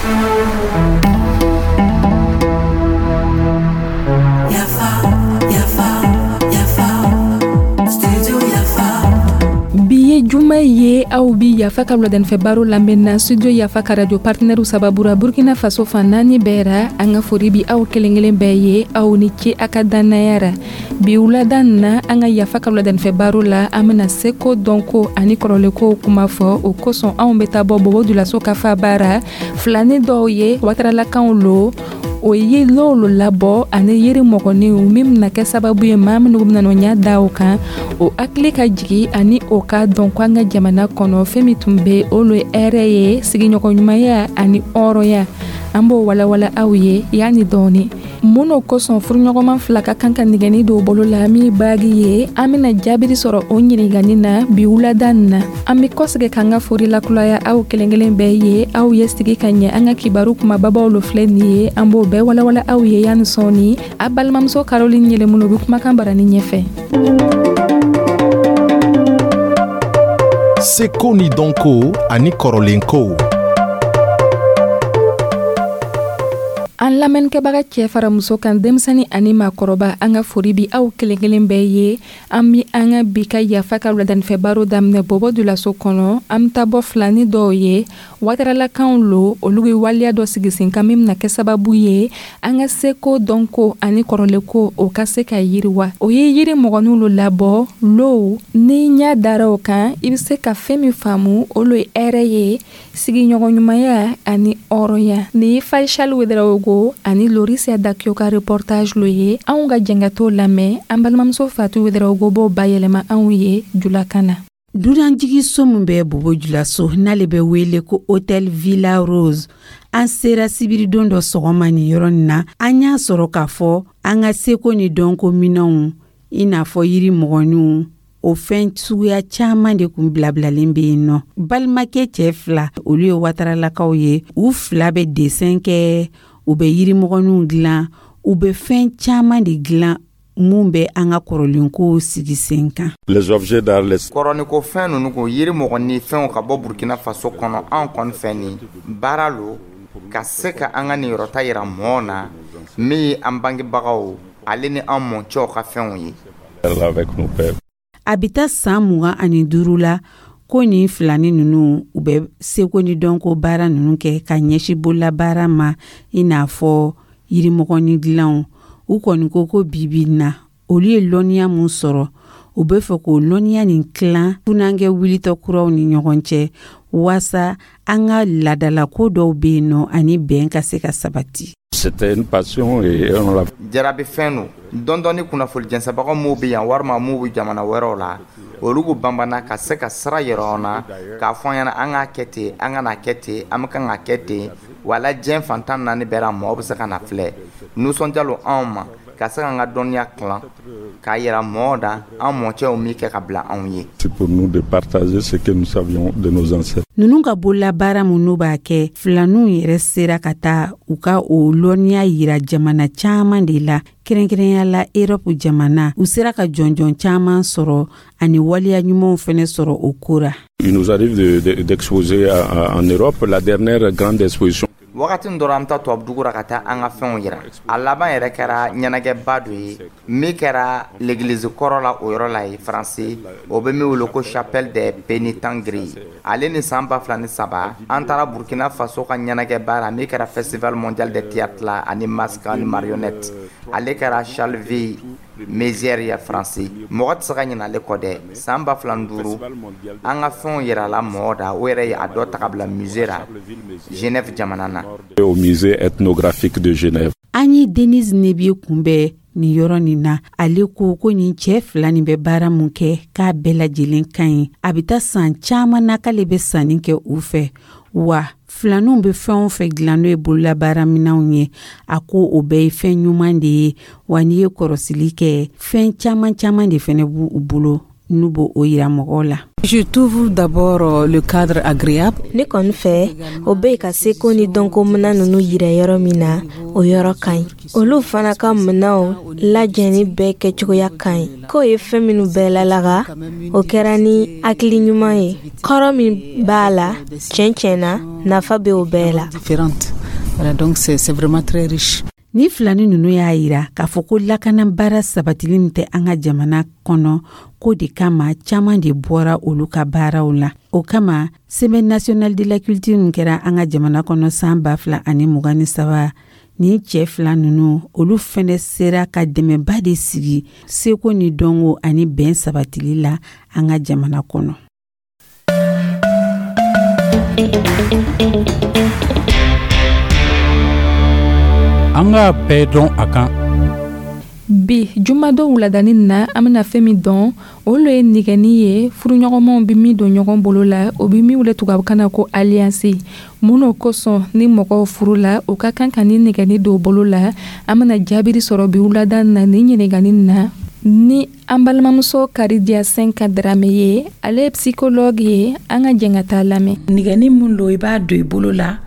Yafa, yafa, yafa, studio Yafa. Bi ye juma ye, aw bi Yafa ka wuladanifɛ baro lamɛn na Studio Yafa ka radio partenaire sababu ra Burkina Faso fan naani bɛɛ ra. An ka fori bi aw kelen kelen bɛɛ ye, aw ni ce a ka dannaya ra. Bi wulada na, an ka Yafa ka wuladanifɛ baro la, an bena seko, dɔnko ani kɔrɔlenkow kuma fɔ. O kosɔn, anw be taa bɔ Bobo Julaso ka faba ra, filani dɔw ye wataralakanw lo, o ye lɔw lo labɔ ani yiri mɔgɔninw min bena kɛ sababu ye maa minnu bena nɔ ɲa da o kan, o hakili ka jigi ani o k'a dɔn ko an ka jamana kɔnɔ, fɛn min tun be o lo ye hɛrɛ ye, sigiɲɔgɔnɲumanya ani hɔrɔnya. An b'o walawala aw ye yanni dɔɔni. Mun n'o kosɔn furuɲɔgɔnma fila ka kan ka nɛgɛni don bolo la min baagi ye? An bena jaabiri sɔrɔ o ɲiningani na bi wulada na. An be kɔsegin k'an ka fori lakuraya aw kelen kelen bɛɛ ye, aw ye sigi ka ɲɛ. An ka kibaru kumababaw lo filɛ nin ye, an b'o bɛɛ walawala aw ye yanni sɔɔni. A balimamuso Caroline Yɛlɛmunu be kumakan barani ɲɛfɛ. Seko ni dɔnko ani kɔrɔlenkow. An lamɛnnikɛbaga cɛ fara muso kan, denmisɛnnin ani maakɔrɔba, an ka fori bi aw kelen kelen bɛɛ ye. An bi an ka bi ka Yafa ka wuladanifɛ baro daminɛ Bobo Julaso kɔnɔ. An bɛ taa bɔ filani dɔw ye, wataralakanw lo, olu ye waleya dɔ sigi sen kan min bɛna kɛ sababu ye an ka seko, dɔnko ani kɔrɔlenko, o ka se ka yiriwa. O ye yiri mɔgɔninw lo labɔ low ni ɲɛ dara o kan, i bɛ se ka fɛn min faamu, o lo ye hɛrɛ ye, sigiɲɔgɔnɲumanya ani hɔrɔnya. Nin ye Faisal Ouedraogo ani Lorisia Dakio ka reportage lo ye. Anw ka jɛnkɛtɔ lamɛn, an balimamuso Fatou Ouedraogo b'o bayɛlɛma anw ye julakan na. Dunanjiginso min bɛ Bobo Julaso, n'ale bɛ wele ko Hotel Villa Rose, an sera sibiridon dɔ sɔgɔma nin yɔrɔ nin na, an y'a sɔrɔ k'a fɔ an ka seko ni dɔnko minɛnw, i n'a fɔ yiri mɔgɔninw, o fɛn suguya caman de kun bilabilalen bɛ yen nɔ. Balimakɛ cɛ fila, olu ye wataralakaw ye. U fila bɛ dessin kɛ, u bɛ yirimɔgɔninw dilan, u bɛ fɛn caman de dilan mun bɛ an ka kɔrɔlenkow sigi sen kan. Les objets d'art, les Kɔrɔniko fɛn ninnu ko yiri mɔgɔ fɛnw ka bɔ Burkina Faso kɔnɔ, anw kɔni fɛ, nin baara lo ka se ka an ka niyɔrɔta yira mɔgɔw na, min ye an bangebagaw ale ni an mɔcɛw ka fɛnw ye. Avec nos pères. A bɛ taa san 25 la ko nin filani ninnu, u bɛ seko ni dɔnko baara ninnu kɛ ka ɲɛsin bololabaara ma, i n'a fɔ yirimɔgɔnin dilanw. U kɔni ko ko bibi na, olu ye lɔnniya mun sɔrɔ, u bɛ fɛ k'o lɔnniya nin tilan funankɛ wulitɔ kuraw ni ɲɔgɔn cɛ, waasa an ka laadalako dɔw bɛ yen nɔ ani bɛn ka se ka sabati. C'était une passion et on l'a Jarabi fɛn don dɔndɔni. Kunnafoni jɛnsɛbagaw m'u bɛ yan walima m'u bɛ jamana wɛrɛw la, olu k'u banbana ka se ka sira yɛrɛ an na k'a fɔ an ɲɛna an k'a kɛ ten, an ka n'a kɛ ten, an bɛ kan ka kɛ ten. Wala diɲɛ fantan naani bɛɛ la, mɔgɔ bɛ se ka na filɛ. Nisɔndiya lo anw ma ka se k'an ka dɔnniya tilan k'a yira mɔgɔw da an mɔcɛw min kɛ ka bila anw ye. C'est pour nous de partager ce que nous savions de nos ancêtres. Ninnu ka bololabaara mun n'u b'a kɛ, filaninw yɛrɛ sera ka taa u ka o lɔnniya yira jamana caman de la, kɛrɛnkɛrɛnya la Erɔpu jamana. U sera ka jɔnjɔn caman sɔrɔ ani waleya ɲumanw fɛnɛ sɔrɔ o ko ra. Il nous arrive d'exposer en Europe, la dernière grande exposition. Wagati min dɔrɔn, an bɛ taa tubabudugu la ka taa an ka fɛnw yira. A laban yɛrɛ kɛra ɲɛnajɛba dɔ ye min kɛra l'église kɔrɔ la, o yɔrɔ la ye Faransi, o bɛ min wele ko Chapelle des Pénitents Gris. Ale ni san 2003, an taara Burkina Faso ka ɲɛnajɛba la min kɛra Festival mondial de théâtre la ani masque ani marionnette. Ale kɛra Charleville Mézières ya Faransi. Mɔgɔ tɛ se ka ɲinɛ ale kɔ dɛ. San 2005, an ka fɛnw yirala mɔgɔ da, o yɛrɛ ye a dɔ ta ka bila musée la Genève jamana na. Au musée ethnographique de Genève. An ye Denise Nebiye kunbɛn nin yɔrɔ nin na. Ale ko ko nin cɛ fila nin bɛ baara mun kɛ, k'a bɛɛ lajɛlen ka ɲi. A bɛ taa san caman na k'ale bɛ sanni kɛ u fɛ, wa filaninw bɛ fɛn o fɛn dilan n'o ye bololabaaraminɛnw ye, a ko o bɛɛ ye fɛn ɲuman de ye. Wa n'i ye kɔrɔsili kɛ, fɛn caman caman de fɛnɛ b'u bolo. N'u b'o o yira mɔgɔw la. Je trouve d'abord le cadre agréable. Ne kɔni fɛ, o bɛ ka seko ni dɔnko minan ninnu yira yɔrɔ min na, o yɔrɔ ka ɲi. Olu fana ka minɛnw lajɛni bɛɛ kɛcogoya ka ɲi. K'o ye fɛn minnu bɛɛ lalaga, o kɛra ni hakili ɲuman ye. Kɔrɔ min b'a la, tiɲɛ tiɲɛ na, nafa bɛ o bɛɛ la. Différentes. Voilà, donc c'est vraiment très riche. Ni filani ninnu y'a yira k'a fɔ ko lakana baara sabatili min tɛ an ka jamana kɔnɔ, ko de kama caaman de bɔra olu ka baaraw la. O kama, Semaine nationale de la culture min kɛra an ka jamana kɔnɔ san 2023, ni cɛɛ fila ninnu, olu fɛnɛ sera ka dɛmɛba de sigi seko ni dɔnko ani bɛn sabatili la an ka jamana kɔnɔ. An k'a bɛɛ dɔn a kan. Bi jumadon wuladani na, an bena fɛn min dɔn, o lo ye nigɛni ye furuɲɔgɔnmaw be min don ɲɔgɔn bolo la, o be min wele tubabukan na ko alliance. Mun n'o kosɔn ni mɔgɔw furu la, o ka kan ka ni nigɛni don bolo la? An bena jaabiri sɔrɔ bi wulada na ni ɲiningani na ni an balimamuso Karidiya Senka Darame ye. Ale ye psychologue ye. An ka jɛn ka taa lamɛn. Nigɛni mun lo, i b'a don i bolo la,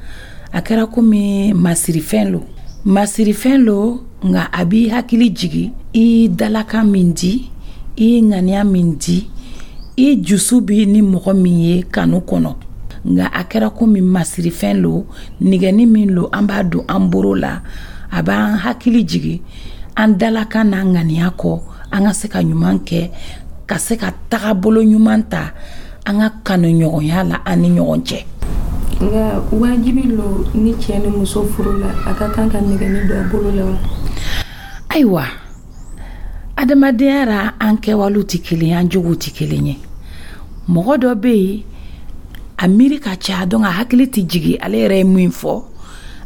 a kɛra komi masirifɛn lo, masirifɛn lo, nka a b'i hakili jigi i dalakan min di, i ŋaniya min di, i jusu bi ni mɔgɔ min ye kanu kɔnɔ. Nka a kɛra komi masirifɛn lo, nigɛni min lo, an b'a don an boro la, a b'an hakili jigi an dalakan n'an ŋaniya kɔ, an ka se ka ɲuman kɛ, ka se ka tagabolo ɲuman ta an ka kanuɲɔgɔnya la an ni ɲɔgɔn cɛ. Nka wajibi lo ni cɛ ni muso furu la, a ka kan ka nɛgɛni don a bolo la wa? Ayiwa, adamadenya ra, an kɛwalew tɛ kelen ye, an jogow tɛ kelen ye. Mɔgɔ dɔ bɛ yen, a miiri ka ca, donc a hakili tɛ jigin ale yɛrɛ ye min fɔ,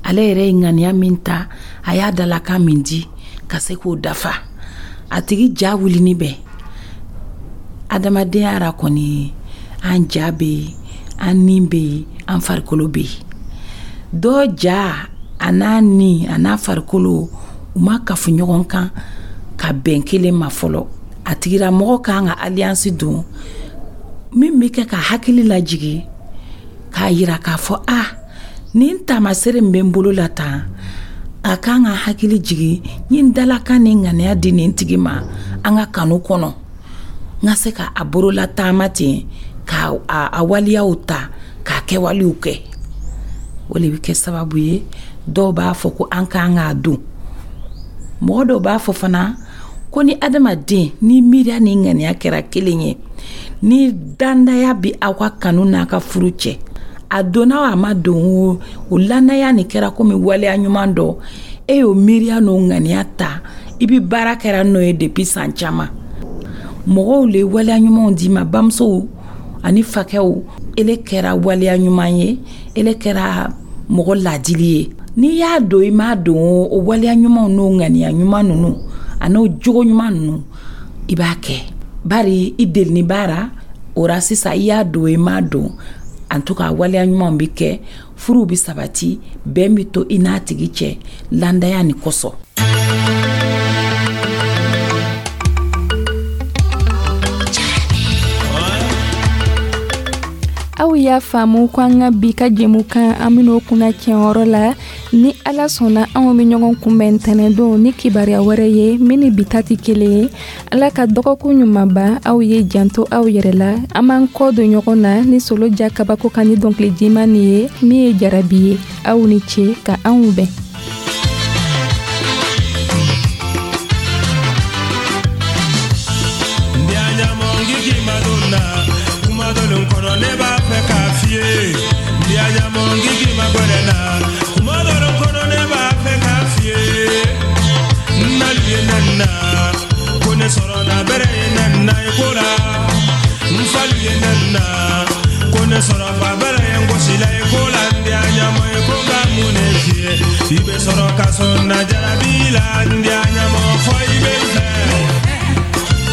ale yɛrɛ ye ŋaniya min ta, a y'a dalakan min di, ka se k'o dafa. A tigi ja wulini bɛ. Adamadenya ra kɔni, an ja bɛ yen, an ni bɛ yen, an farikolo bɛ yen. Dɔ ja a n'a ni a n'a farikolo, u ma kafu ɲɔgɔn kan ka bɛn kelen ma fɔlɔ. A tigilamɔgɔ kan ka alliance don min bɛ kɛ ka hakili lajigi, k'a yira k'a fɔ a nin taamasere min bɛ n bolo la tan, a kan ka hakili jigi n ye n dalakan ni ŋaniya di nin tigi ma an ka kanu kɔnɔ, n ka se ka a borola taama ten, ka a waleyaw ta, k'a kɛwalew kɛ. O de bɛ kɛ sababu ye dɔw b'a fɔ ko an kan k'a don. Mɔgɔ dɔw b'a fɔ fana ko ni adamaden ni miiriya ni ŋaniya kɛra kelen ye, ni dandaya bɛ aw ka kanu n'a ka furu cɛ, a donna o a ma don o, o lanaya nin kɛra komi waleya ɲuman dɔ, e y'o miiriya n'o ŋaniya ta, i bɛ baara kɛra n'o ye depuis san caman. Mɔgɔw le waleya ɲumanw d'i ma, bamusow ani fakɛw, ele kɛra waleya ɲuman ye, ele kɛra mɔgɔ laadili ye. N'i y'a don i m'a don o, o waleya ɲumanw n'o ŋaniya ɲuman ninnu a n'o jogo ɲuman ninnu, i b'a kɛ bari i delini baara o ra. Sisan i y'a don i m'a don, en tout cas waleya ɲumanw bɛ kɛ, furuw bɛ sabati, bɛn bɛ to i n'a tigi cɛ landaya nin kosɔn. Aw y'a faamu ko an ka bi ka jɛmukan, an ben'o kunna tiɲɛyɔrɔ la. Ni Ala sɔnna, anw be ɲɔgɔn kunbɛn ntɛnɛndon ni kibaruya wɛrɛ ye min ni bi ta tɛ kelen ye. Ala ka dɔgɔkun ɲuman ban aw ye. Janto aw yɛrɛ la. An b'an kɔ don ɲɔgɔn na ni Solo Ja kabako kan ni dɔnkili jiman nin ye min ye jarabi ye. Aw ni ce ka anw bɛn. I bɛ sɔrɔ ka sɔn na jarabi la, n diya ɲamɔ fɔ i bɛ n fɛ.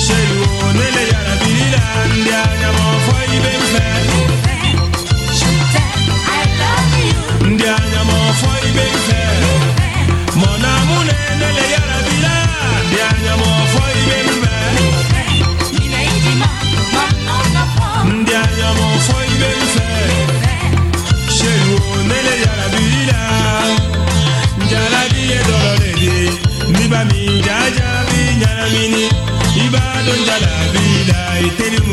Seyi o ne le jarabi la, n diya ɲamɔ fɔ i bɛ n fɛ. N diya ɲamɔ fɔ i bɛ n fɛ. Mɔna mun ne ne le jarabi la, n diya ɲamɔ fɔ i bɛ n fɛ. Teri.